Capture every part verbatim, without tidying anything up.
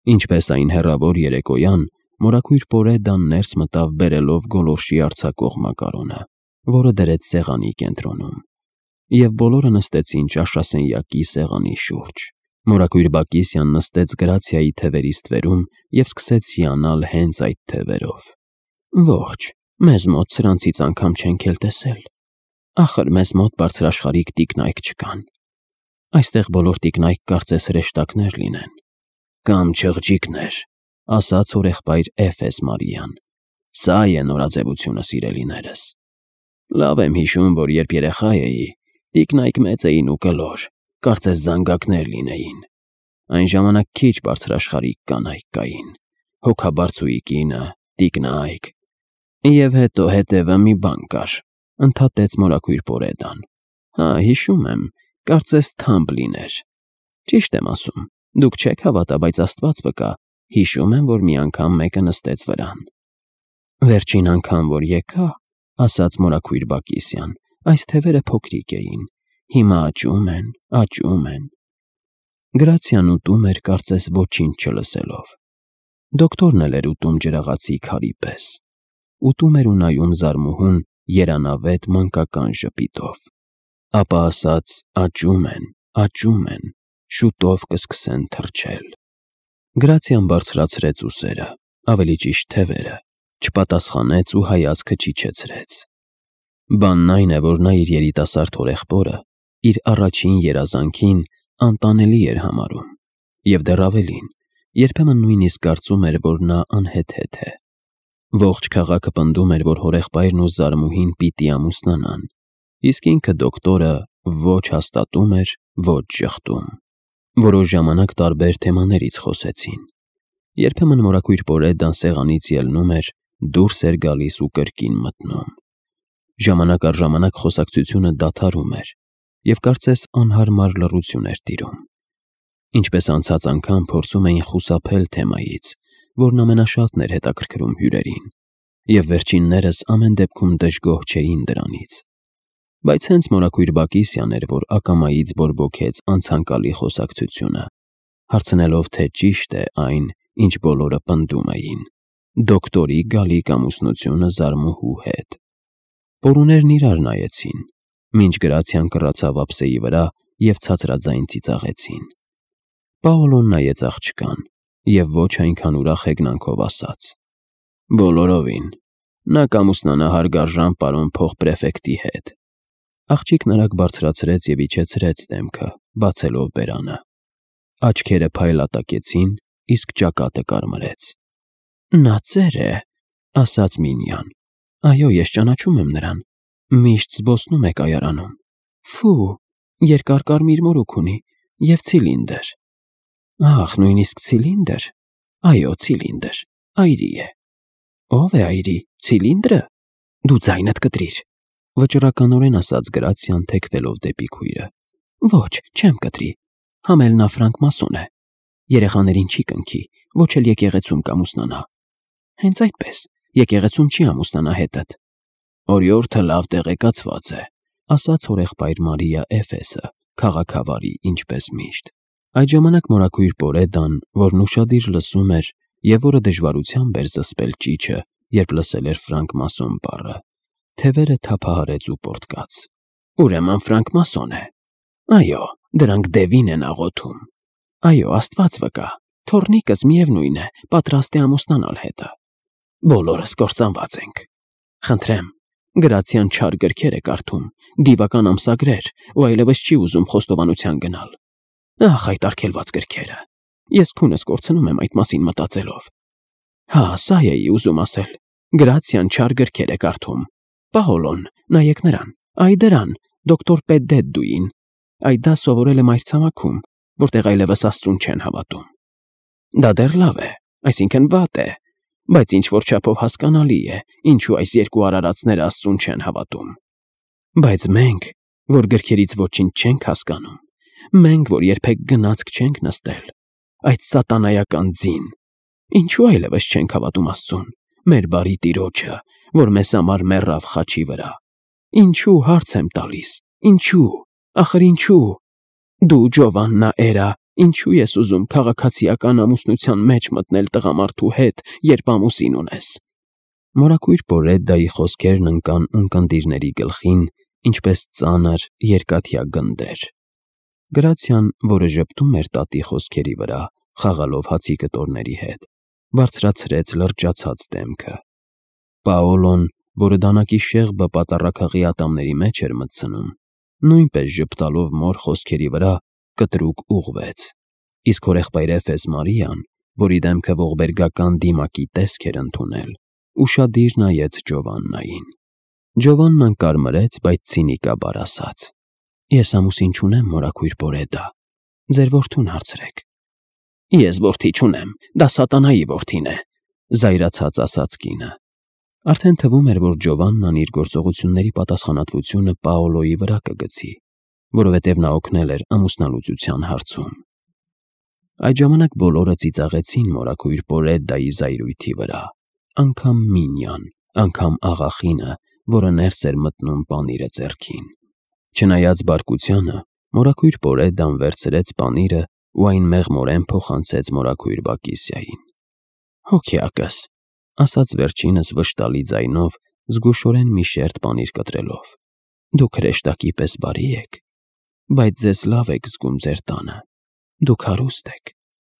Ինչպես այն հեռավոր երեկոյան, մորաքույր Պորեդան ներս մտավ բերելով գոլորշի արձակող մակարոնը, որը դրեց սեղանի կենտրոնում, և բոլորը նստեցին ճաշասենյակի սեղանի շուրջ։ Մորաքույր Բակիսյան նստեց Գրացիայի թևերի ստվերում և սկսեց հիանալ հենց այդ թևերով։ Ոչ, մեզ մոտ սրանցից անգամ չենք էլ տեսել։ Ախր մեզ մոտ բարձրաշխարհիկ տիկնայք չկան։ Այստեղ բոլոր տիկնայք կարծես հրեշտակներ լինեն։ Կամ չղջիկներ, ասաց հորեղբայր Էֆես Մարիան։ Սա է նորաձևությունը, սիրելիներս։ Լավ եմ հիշում, որ երբ երեխա էի, տիկնայք մեծ էին ու կլոր, կարծես զանգակներ լինեին։ Այն ժամանակ քիչ բարձրաշխարհիկ կանայք կային, հոգաբարձուի կինը, տիկնայք։ Եվ հետո հետևը մի բան կար, ընդհատեց մորաքույր Պորեդան։ Հա, հիշում եմ, կարծես թամբ լիներ։ Ճիշտ եմ ասում, դուք չեք հավատա, բայց Աստված վկա, հիշում եմ, որ մի անգամ մեկը նստեց վրան։ Վերջին անգամ, որ եկա, ասաց մորաքույր Բակիսյան, այս թևերը փոքրիկ էին, հիմա աճում են, աճում են։ Գրացիան ուտում էր, կարծես ոչինչ չլսելով։ Դոկտորն էլ էր ուտում ջրաղացի քարի պես։ Ուտում էր ու նայում Զարմուհուն երանավետ մանկական ժպիտով։ Ապա ասաց. աճում են, աճում են, շուտով կսկսեն թռչել։ Գրացիան բարձրացրեց ուսերը, ավելի ճիշտ թևերը, չպատասխանեց ու հայացքը չիջեցրեց։ Բանն այն է, որ նա իր երիտասարդ հորեղբորը, իր առաջին երազանքին անտանելի էր համարում, և դեռ ավելին, երբեմն նույնիսկ կարծում էր, որ նա անհեթեթ է։ Ողջ քաղաքը պնդում էր, որ հորեղբայրն ու Զարմուհին պիտի ամուսնանան, իսկ ինքը դոկտորը ոչ հաստատում էր, ոչ ժխտում։ Որոշ ժամանակ տարբեր թեմաներից խոսեցին։ Երբեմն մորաքույր Պորեդան սեղանից ելնում էր, դուրս էր գալիս ու կրկին մտնում։ Ժամանակ առ ժամանակ խոսակցությունը դադարում էր, և կարծես անհարմար լռություն էր տիրում։ Ինչպես անցած անգամ փորձում էին խուսափել թեմայից, որն ամենաշատն էր հետաքրքրում հյուրերին, և վերջիններս ամեն դեպքում դժգոհ չէին դրանից։ Բայց հենց մորաքույր Բակիսյան էր, որ ակամայից բորբոքեց անցանկալի խոսակցությունը, հարցնելով, թե ճիշտ է այն, ինչ բոլորը պնդում էին. դոկտորի գալիք ամուսնությունը Զարմուհու հետ։ Պորուներն իրար նայեցին, մինչ Գրացիան կռացավ ափսեի վրա և ցածրաձայն ծիծաղեցին։ Պաոլոն նայեց աղջկան և ոչ այնքան ուրախ հեգնանքով ասաց. Բոլորովին, նա կամուսնանա հարգարժան պարոն փոխպրեֆեկտի հետ։ Աղջիկն արագ բարձրացրեց և իջեցրեց դեմքը, բացելով բերանը։ Աչքերը փայլատակեցին, իսկ ճակատը կարմրեց։ Նա ծեր է, ասաց Մինյան։ Այո, ես ճանաչում եմ նրան, միշտ զբոսնում է կայարանում։ Ֆու, երկար կարմիր մորուք ունի և ցիլինդր։ Ահ, նույնիսկ ցիլինդր։ Այո, ցիլինդր, այրի է։ Ո՞վ է այրի, ցիլինդրը։ Դու ձայնդ կտրիր, վճռականորեն ասաց Գրացիան, թեքվելով դեպի քույրը։ Ոչ, չեմ կտրի, համ էլ նա ֆրանկմասոն է։ Երեխաներին չի կնքի, ոչ էլ եկեղեցում կամուսնանա։ Հենց այդպես, եկեղեցում չի ամուսնանա հետդ։ Օրիորդը լավ տեղեկացված է, ասաց հորեղբայր Մարիա Էֆեսը, քաղաքավարի, ինչպես միշտ։ Այդ ժամանակ մորաքույր Պորեդան, որն ուշադիր լսում էր և որը դժվարությամբ էր զսպել ճիչը, երբ լսել էր ֆրանկմասոն բառը, թևերը թափահարեց ու պոռթկաց։ Ուրեմն ֆրանկմասոն է։ Այո, դրանք դևին են աղոթում։ Այո, Աստված վկա, թոռնիկս միևնույն է, պատրաստ է ամուսնանալ հետը։ Բոլորս կործանված ենք։ Խնդրեմ, Գրացիան չար գրքեր է կարդում, դիվական ամսագրեր, ու այլևս չի ուզում խոստովանության գնալ։ Ախ, այդ արգելված գրքերը։ Ես քունս կորցնում եմ այդ մասին մտածելով։ Հա, սա էի ուզում ասել։ Գրացիան չար գրքեր է կարդում։ Պաոլոն, նայեք նրան, այ դրան, դոկտոր Պեդդեդուին։ Այդ դա սովորել է մայրցամաքում, որտեղ այլևս Աստծուն չեն հավատում։ Դա դեռ լավ է, այսինքն վատ է, բայց ինչ-որ չափով հասկանալի է, ինչու այս երկու արարածները Աստծուն չեն հավատում։ Բայց մենք, որ գրքերից ոչինչ չենք հասկանում, մենք, որ երբեք գնացք չենք նստել, այդ սատանայական ձին, ինչու այլևս չենք հավատում Աստծուն, մեր բարի Տիրոջը, որ մեզ համար մեռավ խաչի վրա։ Ինչու, հարց եմ տալիս, ինչու, ախր ինչու։ Դու, Ջովաննա Էրա, Ինչու ես ուզում քաղաքացիական ամուսնության մեջ մտնել տղամարդու հետ, երբ ամուսին ունես։ Մորակույր Պորեդայի խոսքերն ընկան ունկնդիրների գլխին, ինչպես ծանր երկաթյա գնդեր։ Գրացիան, որը ժպտում էր տատի խոսքերի վրա, խաղալով հացի կտորների հետ, բարձրացրեց լրջացած դեմքը։ Պաոլոն, որը դանակի շեղբը պատառաքաղի ատամների մեջ էր մտցնում, նույնպես ժպտալով մոր խոսքերի վրա, կտրուկ ուղղվեց, իսկ հորեղբայրեֆես Մարիան, որի դեմքը ողբերգական դիմակի տեսք էր ընդունել, ուշադիր նայեց Ջովաննային։ Ջովաննան կարմրեց, բայց ցինիկաբար ասաց. Ես ամուսին չունեմ, մորակույր Պորեդա, ձեր որդուն հարցրեք։ Ես որդի չունեմ, դա սատանայի որդին է, զայրացած ասաց կինը։ Արդեն թվում էր, որ Ջովաննան իր գործողությունների պատասխանատվությունը Պաոլոյի վրա կգցի, որովհետև նա օգնել էր ամուսնալուծության հարցում։ Այդ ժամանակ բոլորը ծիծաղեցին մորակույր Պորեդայի զայրույթի վրա, անգամ Մինյան, անգամ աղախինը, որը ներս էր մտնում պանիրը ձեռքին։ Չնայած բարկությանը, մորակույր Պորեդան վերցրեց պանիրը ու այն մեղմորեն փոխանցեց մորակույր Բակիսիային։ Հոգեակս, ասաց վերջինս վշտալի ձայնով, զգուշորեն մի շերտ պանիր կտրելով։ Դուք հրեշտակի պես բարի եք, բայց ձեզ լավ եք զգում ձեր տանը։ Դուք հարուստ եք,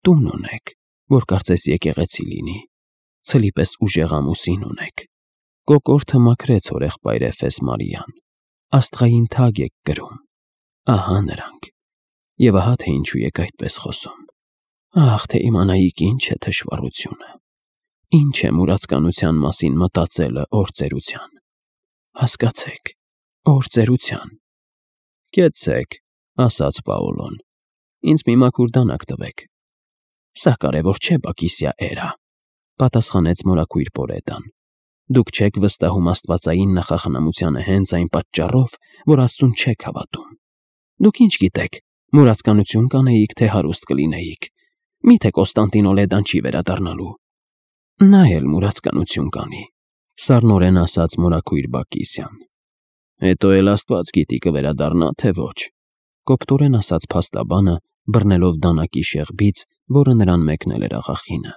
տուն ունեք, որ կարծես եկեղեցի լինի, ցլի պես ուժեղ ամուսին ունեք։ Կոկորդը մաքրեց հորեղբայրեֆես Մարիան։ Աստղային թագ եք կրում։ Ահա նրանք։ Եվ ահա թե ինչու եք այդպես խոսում։ Ահ, թե իմանայիք ինչ է թշվառությունը։ Ինչ է մուրացկանության մասին մտածելը օրծերության։ Հասկացեք, օրծերության։ Կեցեք, ասաց Պաոլոն։ Ինձ մի մաքուր դանակ տվեք։ Սա կարևոր չէ, Բակիսիա էրա, պատասխանեց մորակույր Պորեդան։ Դուք չեք վստահում աստվածային նախախնամությանը հենց այն պատճառով, որ Աստծուն չեք հավատում։ Դուք ինչ գիտեք, մուրացկանություն կանեիք, թե հարուստ կլինեիք։ Միթե Կոստանտինոլեդան չի վերադառնալու։ Նա էլ մուրացկանություն կանի, սառնորեն ասաց մորակույր Բակիսիան։ Հետո էլ Աստված գիտի կվերադառնա, թե ոչ, կոպտորեն ասաց փաստաբանը, բռնելով դանակի շեղբից, որը նրան մեկնել էր աղախինը։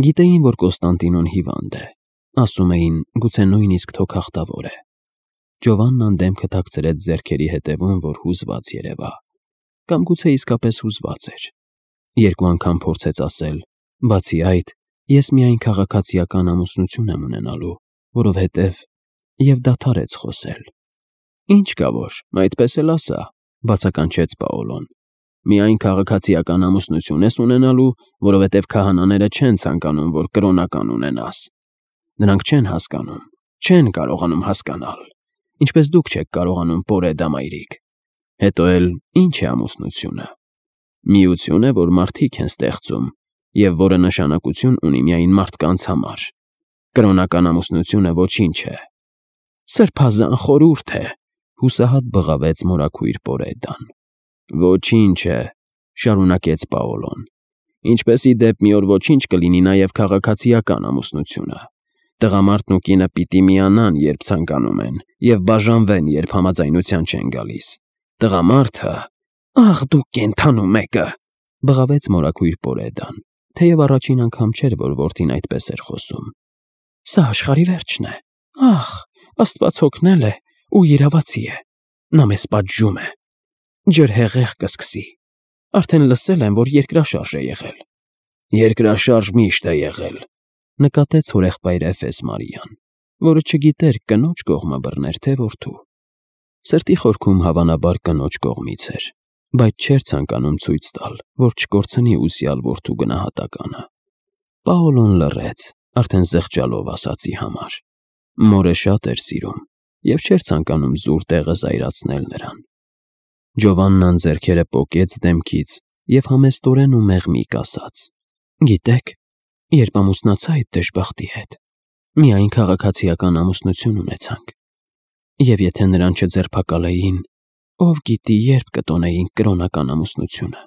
Գիտեին, որ Կոստանտինոն հիվանդ է, ասում էին, գուցե նույնիսկ թոքախտավոր է։ Ջովաննան դեմքը թաքցրեց ձեռքերի հետևում, որ հուզված երևա, կամ գուցե իսկապես հուզված էր։ Երկու անգամ փորձեց ասել. բացի այդ, ես միայն քաղաքացիական ամուսնություն եմ ունենալու, որովհետև եւ դադարեց խոսել։ Ինչ կա որ, այդպես էլ ասա, բացականչեց Պաոլոն։ Միայն քաղաքացիական ամուսնություն ես ունենալու, որովհետև քահանաները չեն ցանկանում, որ կրոնական ունենաս։ Նրանք չեն հասկանում, չեն կարողանում հասկանալ, ինչպես դուք չեք կարողանում Պորեդա մայրիկ։ Հետո էլ ինչ է ամուսնությունը։ Միություն է, որ մարդիկ են ստեղծում եւ որը նշանակություն ունի միայն մարդկանց համար։ Կրոնական ամուսնությունը ոչինչ է։ Սրբազան խորհուրդ է, հուսահատ բղավեց մորակույր Պորեդան։ Ոչինչ է, շարունակեց Պաոլոն։ Ինչպես ի դեպ մի օր ոչինչ կլինի նաև քաղաքացիական ամուսնությունը։ Տղամարդն ու կինը պիտի միանան, երբ ցանկանում են, եւ բաժանվեն, երբ համաձայնության չեն գալիս։ Տղամարդը, ախ դու կենթանու մեկը, բղավեց մորակույր Պորեդան, թեև առաջին անգամ չէր, որ որդին այդպես էր խոսում։ Սա աշխարհի վերջն է։ Ախ, Աստված հոգնել է ու իրավացի է։ Նա մեզ պատժում է։ Ջրհեղեղ կսկսի։ Արդեն լսել եմ, որ երկրաշարժ է եղել։ Երկրաշարժ միշտ է եղել, նկատեց հորեղբայրեֆես Մարիան, որը չգիտեր կնոջ կողմը բռներ, թե որդու։ Սրտի խորքում հավանաբար կնոջ կողմից էր, բայց չէր ցանկանում ցույց տալ, որ չկորցնի ուսյալ որդու գնահատականը։ Պաոլոն լռեց, արդեն զղջալով ասացի համար։ Մորը շատ էր սիրում եւ չէր ցանկանում զուր տեղը զայրացնել նրան։ Ջովաննան ձեռքերը պոկեց դեմքից եւ համեստորեն ու մեղմիկ ասաց. Գիտեք, երբ ամուսնացա այդ դժբախտի հետ, միայն քաղաքացիական ամուսնություն ունեցանք։ Եվ եթե նրան չձերբակալեին, ով գիտի երբ կտոնեինք կրոնական ամուսնությունը։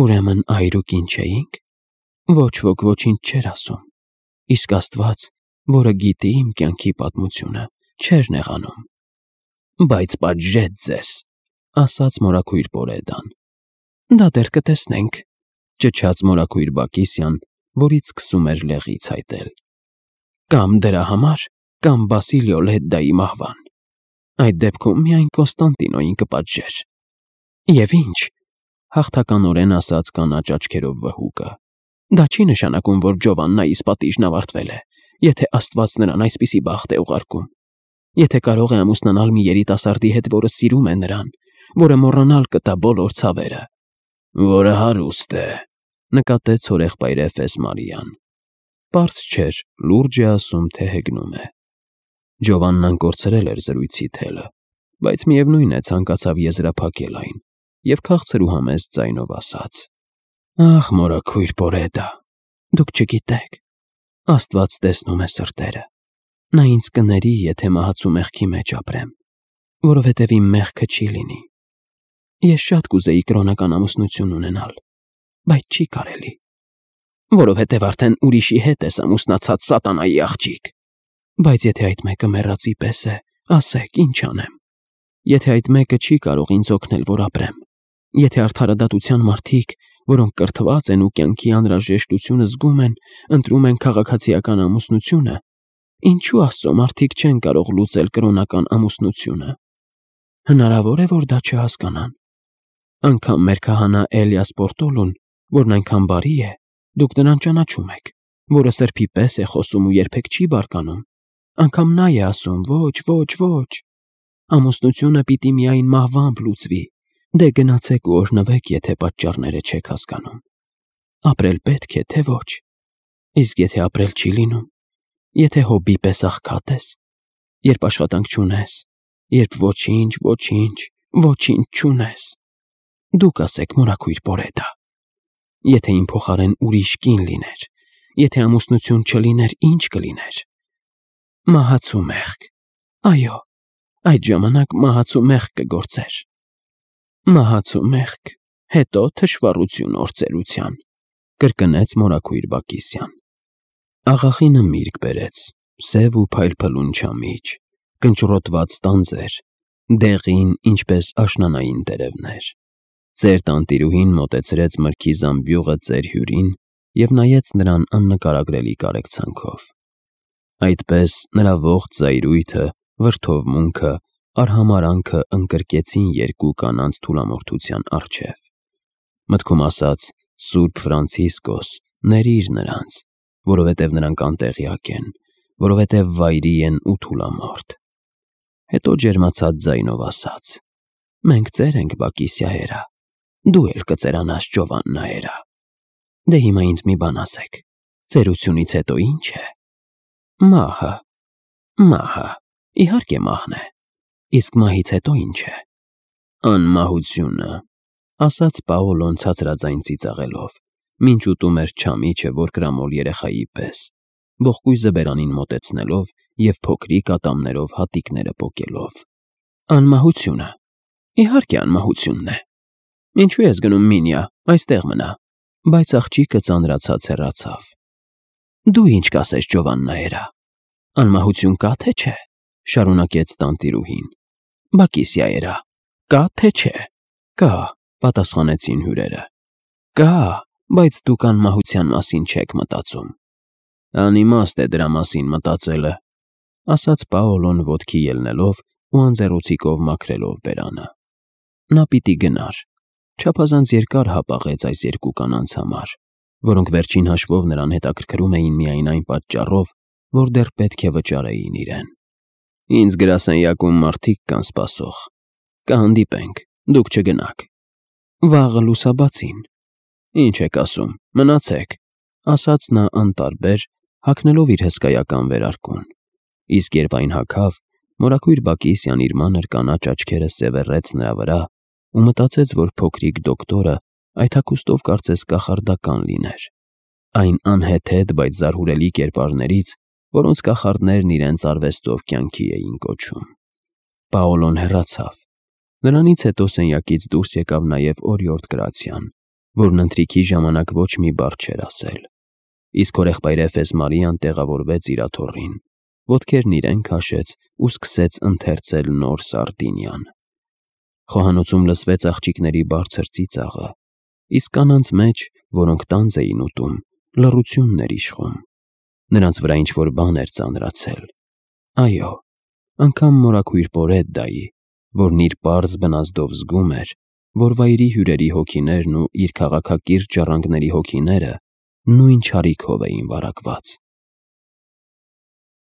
Ուրեմն այրուկ ինչ էինք։ Ոչ ոք ոչինչ չէր ասում։ Իսկ Աստված, որը գիտի իմ կյանքի պատմությունը, չէր նեղանում։ Բայց պատժեց ձեզ, ասաց մորակույր Պորեդան։ Դա դեռ կտեսնենք, ճչաց մորաքույր Բակիսյան, որից սկսում էր լեղի ցայտել։ Կամ դրա համար, կամ Բասիլիո Լեդդայի մահվան։ Այդ դեպքում միայն Կոստանտինոյին կպատժեր։ Եվ ինչ, հաղթականորեն ասաց կանաչ աչքերով վհուկը։ Դա չի նշանակում, որ Ջովաննայիս պատիժն ավարտվել է, եթե Աստված նրան այսպիսի բախտ է ուղարկում։ Եթե կարող է ամուսնանալ մի երիտասարդի հետ, որը սիրում է նրան, որը մոռանալ կտա բոլոր ցավերը։ Որը հարուստ է, նկատեց հորեղբայր Էֆես Մարիան։ Պարզ չէր, լուրջ է ասում, թե հեգնում է։ Ջովաննան կորցրել էր զրույցի թելը, բայց միևնույն է ցանկացավ եզրափակել այն, և քաղցր ու համեստ ձայնով ասաց. Ախ, մորաքույր Պորեդա, դուք չգիտեք, Աստված տեսնում է սրտերը։ Նա ինձ կների, եթե մահացու մեղքի մեջ ապրեմ, որովհետև իմ մեղքը չի լինի։ Ես շատ կուզեի կրոնական ամուսնություն ունենալ, բայց չի կարելի, որովհետև արդեն ուրիշի հետ ես ամուսնացած սատանայի աղջիկ։ Բայց եթե այդ մեկը մեռածի պես է, ասեք, ինչ անեմ։ Եթե այդ մեկը չի կարող ինձ օգնել, որ ապրեմ, եթե արդարադատության մարդիկ, որոնք կրթված են ու կյանքի անհրաժեշտությունը զգում են, ընտրում են քաղաքացիական ամուսնությունը, ինչու Աստծո մարդիկ չեն կարող լուծել կրոնական ամուսնությունը։ Հնարավոր է, որ դա չհասկանան։ Անգամ մեր քահանա Էլիաս Պորտոլուն, որն այնքան բարի է, դուք նրան ճանաչում եք, որը սրբի պես է խոսում ու երբեք չի բարկանում, անգամ նա է ասում. ոչ, ոչ, ոչ, ամուսնությունը պիտի միայն մահվամբ լուծվի, դե գնացեք ու օրհնվեք, եթե պատճառները չեք հասկանում։ Ապրել պետք է, թե ոչ։ Իսկ եթե ապրել չի լինում, եթե հոբի պես աղքատ ես, երբ աշխատանք չունես, երբ ոչինչ, ոչինչ, ոչինչ չունես, դուք ասեք, մորաքույր Պորեդա, եթե իմ փոխարեն ուրիշ կին լիներ, եթե ամուսնություն չլիներ, ինչ կլիներ։ Մահացու մեղք, այո, այդ ժամանակ մահացու մեղք կգործեր։ Մահացու մեղք, հետո թշվառություն օրծելության, կրկնեց մորաքույր Բակիսյան։ Աղախինը միրգ բերեց, սև ու փայլփլուն չամիչ, կնճռոտված տանձեր, դեղին, ինչպես աշնանային տերևներ։ Ծեր տանտիրուհին մոտեցրեց մրգի զամբյուղը ծեր հյուրին և նայեց նրան աննկարագրելի կարեկցանքով։ Այդպես նրա ողջ զայրույթը, վրդովմունքը, արհամարանքը ընկրկեցին երկու կանանց թուլամորթության առջև։ Մտքում ասաց. Սուրբ Ֆրանցիսկոս, ների՛ր նրանց, որովհետև նրանք անտեղյակ են, որովհետև վայրի են ու թուլամորթ։ Հետո ջերմացած ձայնով ասաց. Մենք ծեր ենք, Բակիսիահերա, դու էլ կծերանաս, Ջովաննահերա։ Դե հիմա ինձ մի բան ասեք, ծերությունից հետո ի՞նչ է։ Մահը, մահը, իհարկե մահն է, իսկ մահից հետո ի՞նչ է։ Անմահությունը, ասաց Պաոլոն ցածրաձայն ծիծաղելով, մինչ ուտում էր չամիչը, որ կրամոլ երեխայի պես, ողկույզը բերանին մոտեցնելով և փոքրիկ ատամներով հատիկները պոկելով։ Անմահությունը, իհարկե անմահությունն է։ Ինչու ես գնում Մինիա, այստեղ մնա։ Բայց աղջիկը ծանրացած հեռացավ։ Դու ինչ կասես, Ջովաննահերա։ Անմահություն կա թե չէ, շարունակեց տանտիրուհին։ Բակիսիահերա, կա թե չէ։ Կա, պատասխանեցին հյուրերը։ Կա, բայց դուք անմահության մասին չեք մտածում։ Անիմաստ է դրա մասին մտածելը, ասաց Պաոլոն ոտքի ելնելով ու անձեռոցիկով մաքրելով բերանը։ Նա պիտի գնար, չափազանց երկար հապաղեց այս երկու կանանց համար, որոնք վերջին հաշվով նրան հետաքրքրում էին միայն այն պատճառով, որ դեռ պետք է վճարեին իրեն։ Ինձ գրասենյակում մարդիկ կան սպասող։ Կհանդիպենք, դուք չգնաք։ Վաղը լուսաբացին։ Ինչ եք ասում, մնացեք, ասաց նա անտարբեր, հագնելով իր հսկայական վերարկուն։ Իսկ երբ այն հագավ, մորաքույր Բակիսյան իր մանր կանաչ աչքերը սևեռեց նրա վրա ու մտածեց, որ փոքրիկ դոկտորը այդ հագուստով կարծես կախարդական լիներ։ Այն անհեթեթ, բայց զարհուրելի կերպարներից, որոնց կախարդներն իրենց արվեստով կյանքի էին կոչում։ Պաոլոն հեռացավ։ Նրանից հետո սենյակից դուրս եկավ նաև օրիորդ Գրացիան, որն ընթրիքի ժամանակ ոչ մի բառ չէր ասել։ Իսկ հորեղբայր Էֆես Մարիան տեղավորվեց իր աթոռին, ոտքերն իրեն քաշեց ու սկսեց ընթերցել նոր Սարդինյան։ Խոհանոցում լսվեց աղջիկների բարձր ծիծաղը, իսկ կանանց մեջ, որոնք տանձ էին ուտում, լռությունն էր իշխում։ Նրանց վրա ինչ-որ բան էր ծանրացել։ Այո, անգամ մորաքույր Պորեդդայի, որն իր պարզ բնազդով զգում էր, որ վայրի հյուրերի հոգիներն ու իր քաղաքակիրթ ժառանգների հոգիները նույն չարիքով էին վարակված։